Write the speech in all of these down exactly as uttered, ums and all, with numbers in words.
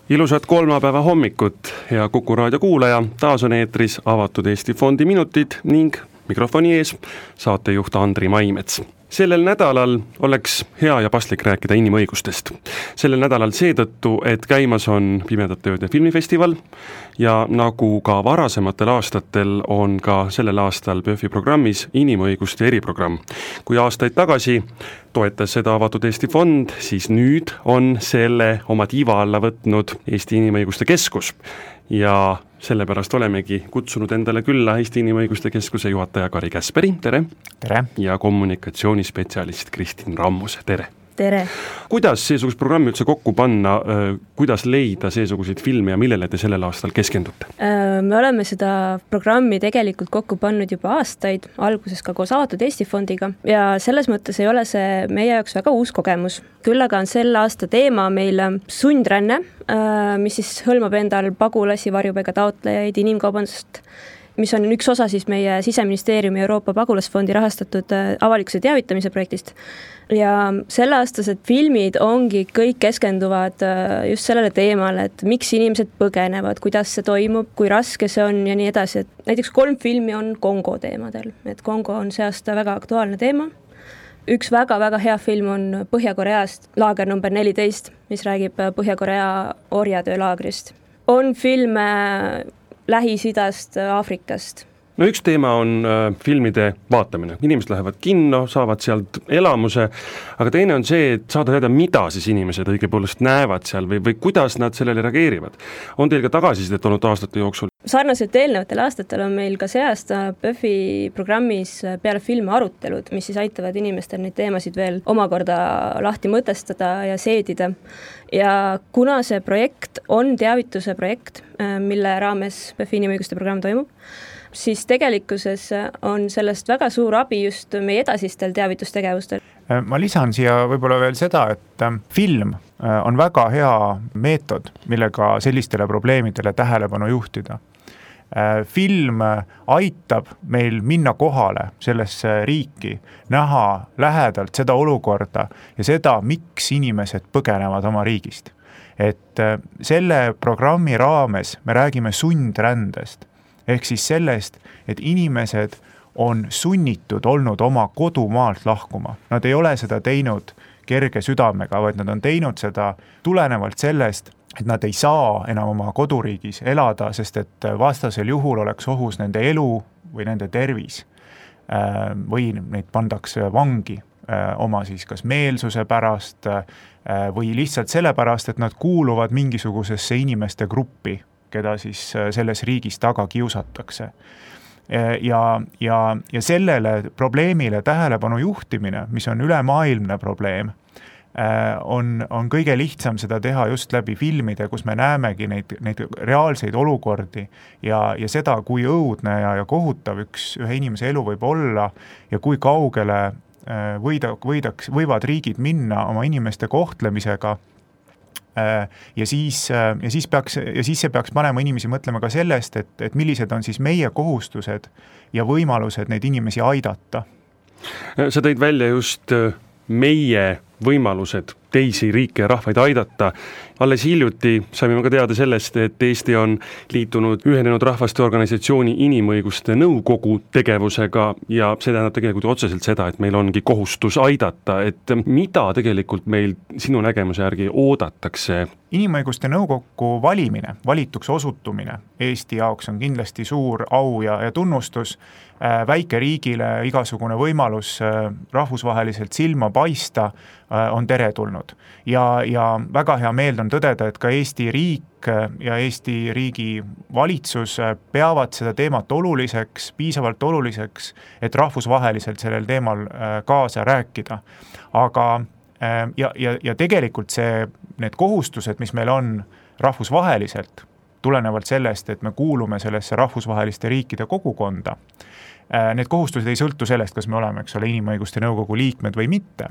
Ilusat kolmapäeva hommikut, hea Kuku raadio kuulaja, taas on eetris Avatud Eesti Fondi minutid ning mikrofoni ees saatejuht Andri Maimets. Sellel nädalal oleks hea ja paslik rääkida inimõigustest. Sellel nädalal seetõttu, et käimas on Pimedate ööde filmifestival ja nagu ka varasematel aastatel on ka sellel aastal P Ö F-i programmis inimõiguste eriprogramm. Kui aastaid tagasi toetas seda Avatud Eesti Fond, siis nüüd on selle oma tiiva alla võtnud Eesti Inimõiguste Keskus ja sellepärast olemegi kutsunud endale külla Eesti Inimõiguste Keskuse juhataja Kari Käsperi, tere! Tere! Ja kommunikatsioonispetsialist Kristin Rammus, tere! Tere! Kuidas seesugust programmi üldse kokku panna, kuidas leida seesuguseid filme ja millele te sellel aastal keskendute? Me oleme seda programmi tegelikult kokku pannud juba aastaid, alguses ka koos Avatud Eesti Fondiga ja selles mõttes ei ole see meie jaoks väga uus kogemus. Küll aga on selle aasta teema meil sundränne, mis siis hõlmab endal pagulasi, varjupaiga taotlejaid, inimkaubandust, mis on üks osa siis meie Siseministeeriumi Euroopa Pagulasfondi rahastatud avalikkuse teavitamise projektist. Ja selle aastased filmid ongi kõik keskenduvad just sellele teemale, et miks inimesed põgenevad, kuidas see toimub, kui raske see on ja nii edasi. Et näiteks kolm filmi on Kongo teemadel, et Kongo on see aasta väga aktuaalne teema. Üks väga-väga hea film on Põhja-Koreast, laager number neliteist, mis räägib Põhja-Korea orjatöölaagrist. On filme Lähis-Idast, Aafrikast. No üks teema on äh, filmide vaatamine. Inimesed lähevad kinno, saavad sealt elamuse, aga teine on see, et saada teada, mida siis inimesed õigepoolest näevad seal või, või kuidas nad sellele reageerivad. On teil ka tagasisidet olnud aastate jooksul? Sarnaselt eelnevatel aastatel on meil ka see aasta P Ö F-i programmis peale filme arutelud, mis siis aitavad inimestel neid teemasid veel omakorda lahti mõtestada ja seedida. Ja kuna see projekt on teavituse projekt, mille raames P Ö F-i inimõiguste programm toimub, siis tegelikkuses on sellest väga suur abi just meie edasistel teavitustegevustel. Ma lisan siia võib-olla veel seda, et film on väga hea meetod, millega sellistele probleemidele tähelepanu juhtida. Film aitab meil minna kohale sellesse riiki, näha lähedalt seda olukorda ja seda, miks inimesed põgenevad oma riigist. Et selle programmi raames me räägime sundrändest, ehk siis sellest, et inimesed on sunnitud olnud oma kodumaalt lahkuma. Nad ei ole seda teinud kerge südamega, vaid nad on teinud seda tulenevalt sellest, et nad ei saa enam oma koduriigis elada, sest et vastasel juhul oleks ohus nende elu või nende tervis või neid pandakse vangi oma siis kas meelsuse pärast või lihtsalt sellepärast, et nad kuuluvad mingisugusesse inimeste gruppi, keda siis selles riigis taga kiusatakse. Ja, ja, ja sellele probleemile tähelepanu juhtimine, mis on ülemaailmne probleem, on, on kõige lihtsam seda teha just läbi filmide, kus me näemegi neid, neid reaalseid olukordi ja, ja seda, kui õudne ja, ja kohutav üks ühe inimese elu võib olla ja kui kaugele võida, võidaks, võivad riigid minna oma inimeste kohtlemisega. Ja siis, ja, siis peaks, ja siis see peaks panema inimesi mõtlema ka sellest, et, et millised on siis meie kohustused ja võimalused neid inimesi aidata. Sa tõid välja just meie võimalused teisi riike ja rahvaid aidata. Alles hiljuti saime ka teada sellest, et Eesti on liitunud Ühinenud Rahvaste Organisatsiooni inimõiguste nõukogu tegevusega ja see tähendab tegelikult otseselt seda, et meil ongi kohustus aidata, et mida tegelikult meil sinu nägemuse järgi oodatakse? Inimõiguste nõukogu valimine, valituks osutumine Eesti jaoks on kindlasti suur au ja, ja tunnustus. Väike riigile igasugune võimalus rahvusvaheliselt silma paista on teretulnud. Ja, ja väga hea meel on tõdeda, et ka Eesti riik ja Eesti riigi valitsus peavad seda teemat oluliseks, piisavalt oluliseks, et rahvusvaheliselt sellel teemal kaasa rääkida. Aga ja, ja, ja tegelikult see, need kohustused, mis meil on rahvusvaheliselt, tulenevalt sellest, et me kuulume sellesse rahvusvaheliste riikide kogukonda, need kohustused ei sõltu sellest, kas me oleme, eks ole, inimõiguste nõukogu liikmed või mitte.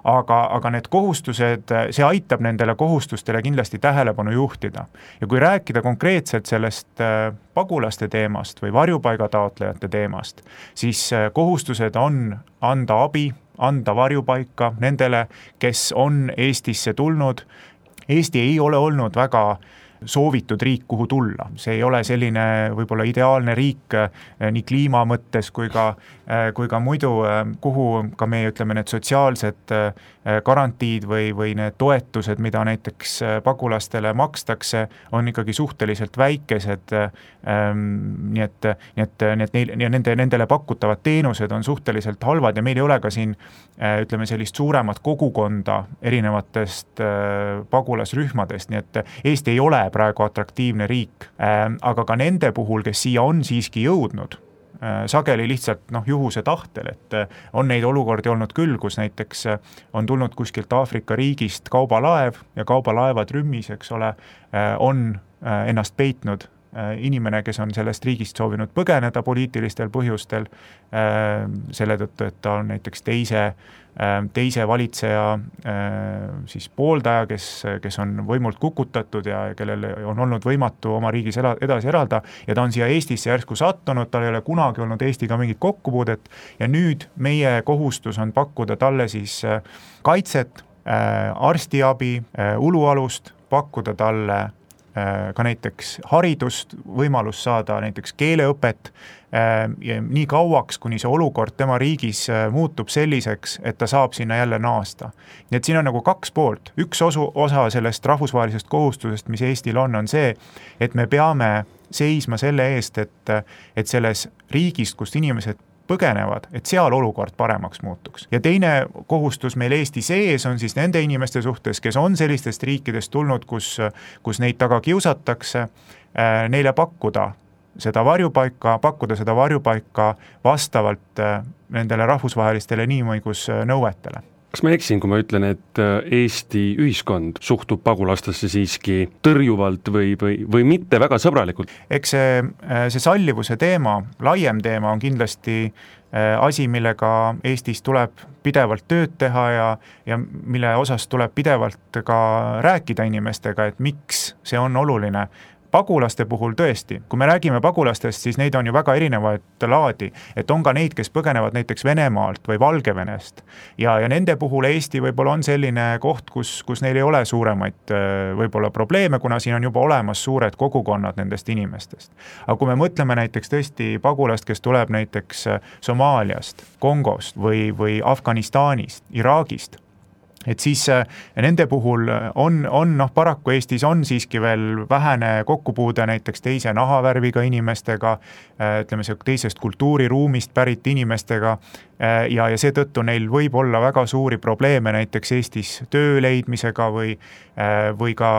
Aga, aga need kohustused, see aitab nendele kohustustele kindlasti tähelepanu juhtida. Ja kui rääkida konkreetselt sellest pagulaste teemast või varjupaigataotlejate teemast, siis kohustused on anda abi, anda varjupaika nendele, kes on Eestisse tulnud Eesti ei ole olnud väga soovitud riik, kuhu tulla. See ei ole selline võib-olla ideaalne riik nii kliima mõttes kui ka, kui ka muidu, kuhu ka meie ütleme need sotsiaalsed garantiid või, või need toetused, mida näiteks pagulastele makstakse, on ikkagi suhteliselt väikesed. Nii et, nii et, nii et neil, ja nende, nendele pakutavad teenused on suhteliselt halvad ja meil ei ole ka siin ütleme sellist suuremat kogukonda erinevatest pagulasrühmadest, nii et Eesti ei ole praegu atraktiivne riik, aga ka nende puhul, kes siia on siiski jõudnud, sageli lihtsalt noh, juhuse tahtel, et on neid olukordi olnud küll, kus näiteks on tulnud kuskilt Aafrika riigist kaubalaev ja kaubalaeva trümmis, eks ole, on ennast peitnud inimene, kes on sellest riigist soovinud põgeneda poliitilistel põhjustel, selle tõttu, et ta on näiteks teise, teise valitseja siis pooldaja, kes, kes on võimult kukutatud ja kellel on olnud võimatu oma riigis edasi elada ja ta on siia Eestisse järsku sattunud, tal ei ole kunagi olnud Eestiga mingit kokkupuudet ja nüüd meie kohustus on pakkuda talle siis kaitset, arstiabi, ulualust, pakkuda talle ka näiteks haridust, võimalus saada näiteks keeleõpet ja nii kauaks, kuni see olukord tema riigis muutub selliseks, et ta saab sinna jälle naasta. Nii et siin on nagu kaks poolt. Üks osu, osa sellest rahvusvahelisest kohustusest, mis Eestil on, on see, et me peame seisma selle eest, et, et selles riigist, kust inimesed põgenevad, et seal olukord paremaks muutuks. Ja teine kohustus meil Eesti sees on siis nende inimeste suhtes, kes on sellistest riikidest tulnud, kus, kus neid taga kiusatakse, neile pakkuda seda varjupaika, pakkuda seda varjupaika vastavalt nendele rahvusvahelistele inimõigusnõuetele. Kas ma eksin, kui ma ütlen, et Eesti ühiskond suhtub pagulastesse siiski tõrjuvalt või, või, või mitte väga sõbralikult? Eks see, see sallivuse teema, laiem teema on kindlasti asi, millega Eestis tuleb pidevalt tööd teha ja, ja mille osas tuleb pidevalt ka rääkida inimestega, et miks see on oluline. Pagulaste puhul tõesti, kui me räägime pagulastest, siis neid on ju väga erinevaid laadi, et on ka neid, kes põgenevad näiteks Venemaalt või Valgevenest ja, ja nende puhul Eesti võib-olla on selline koht, kus, kus neil ei ole suuremaid võib-olla probleeme, kuna siin on juba olemas suured kogukonnad nendest inimestest. Aga kui me mõtleme näiteks tõesti pagulast, kes tuleb näiteks Somaaliast, Kongost või, või Afganistanist, Iraagist, et siis nende puhul on, on noh, paraku Eestis on siiski veel vähene kokkupuude näiteks teise nahavärviga inimestega, ütleme see teisest kultuuriruumist pärit inimestega ja, ja seetõttu neil võib olla väga suuri probleeme näiteks Eestis töö leidmisega või, või, ka,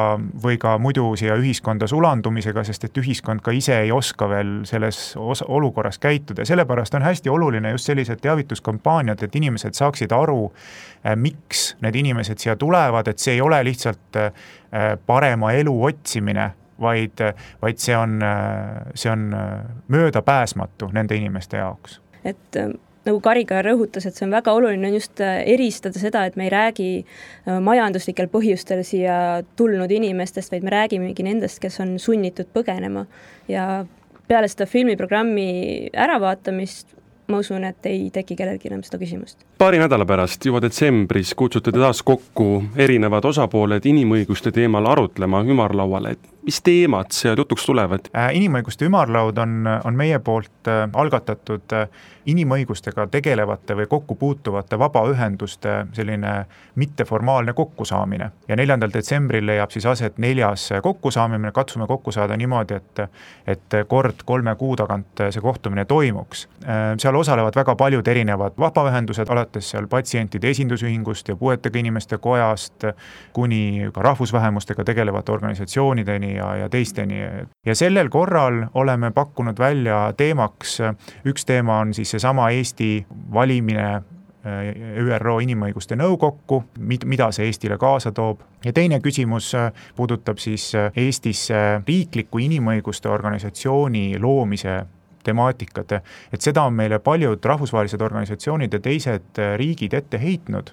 või ka muidu siia ühiskonda sulandumisega, sest et ühiskond ka ise ei oska veel selles olukorras käituda. Sellepärast on hästi oluline just sellised teavituskampaaniad, et inimesed saaksid aru, miks need inimesed siia tulevad, et see ei ole lihtsalt parema elu otsimine, vaid, vaid see on, see on möödapääsmatu nende inimeste jaoks. Et nagu Kari ka rõhutas, et see on väga oluline just eristada seda, et me ei räägi majanduslikel põhjustel siia tulnud inimestest, vaid me räägimegi nendest, kes on sunnitud põgenema. Ja peale seda filmiprogrammi äravaatamist ma usun, et ei teki kellelgi enam seda küsimust. Paari nädala pärast, juba detsembris, kutsute taas kokku erinevad osapooled inimõiguste teemal arutlema ümarlauale. Mis teemad seal jutuks tulevad? Inimõiguste ümarlaud on, on meie poolt algatatud inimõigustega tegelevate või kokku puutuvate vabaühenduste selline mitteformaalne kokkusaamine. Ja neljandal detsembril leiab siis aset neljas kokkusaamine, katsume kokku saada niimoodi, et, et kord kolme kuu tagant see kohtumine toimuks. Seal osalevad väga paljud erinevad vabaühendused, alates seal patsientide esindusühingust ja puuetega inimeste kojast kuni ka rahvusvähemustega tegelevate organisatsioonideni ja, ja teisteni. Ja sellel korral oleme pakkunud välja teemaks, üks teema on siis seesama Eesti valimine Ü R O inimõiguste nõukokku, mida see Eestile kaasa toob. Ja teine küsimus puudutab siis Eestis riikliku inimõiguste organisatsiooni loomise temaatikat, et seda on meile paljud rahvusvahelised organisatsioonid ja teised riigid ette heitnud,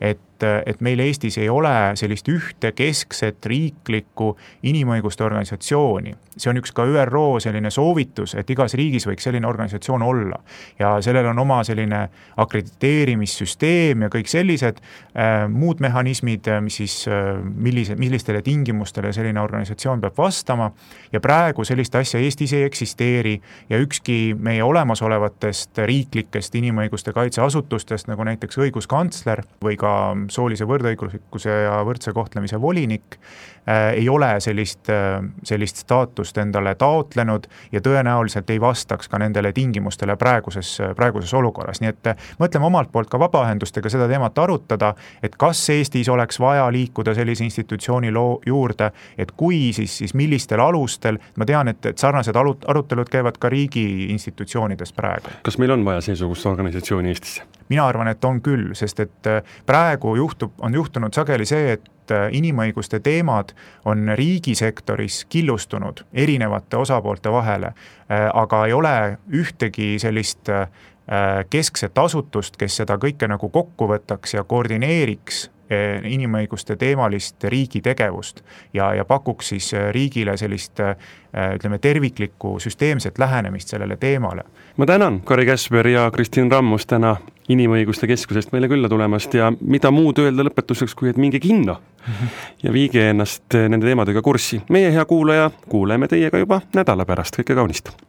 et et meil Eestis ei ole sellist ühte keskset riiklikku inimõiguste organisatsiooni. See on üks ka Ü R O selline soovitus, et igas riigis võiks selline organisatsioon olla. Ja sellel on oma selline akrediteerimissüsteem ja kõik sellised äh, muud mehhanismid, mis siis, äh, millise, millistele tingimustele selline organisatsioon peab vastama. Ja praegu sellist asja Eestis ei eksisteeri ja ükski meie olemasolevatest riiklikest inimõiguste kaitseasutustest, nagu näiteks õiguskantsler või ka soolise võrdõiguslikkuse ja võrdse kohtlemise volinik, äh, ei ole sellist, äh, sellist staatust endale taotlenud ja tõenäoliselt ei vastaks ka nendele tingimustele praeguses, praeguses olukorras. Nii et mõtleme omalt poolt ka vabaühendustega seda teemat arutada, et kas Eestis oleks vaja liikuda sellise institutsiooni loo juurde, et kui, siis, siis millistel alustel. Ma tean, et, et sarnased arutelud käivad ka riigi institutsioonides praegu. Kas meil on vaja seesugust organisatsiooni Eestis? Mina arvan, et on küll, sest et praegu juhtub, on juhtunud sageli see, et inimõiguste teemad on riigisektoris killustunud erinevate osapoolte vahele, aga ei ole ühtegi sellist keskset asutust, kes seda kõike nagu kokku võtaks ja koordineeriks inimõiguste teemalist riigi tegevust ja, ja pakuks siis riigile sellist, ütleme, terviklikku süsteemset lähenemist sellele teemale. Ma tänan Kari Käsper ja Kristin Rammus täna Inimõiguste Keskusest meile külla tulemast ja mida muud öelda lõpetuseks, kui et minge kinno ja viige ennast nende teemadega kurssi. Meie hea kuulaja, kuuleme teiega juba nädala pärast, kõike kaunist!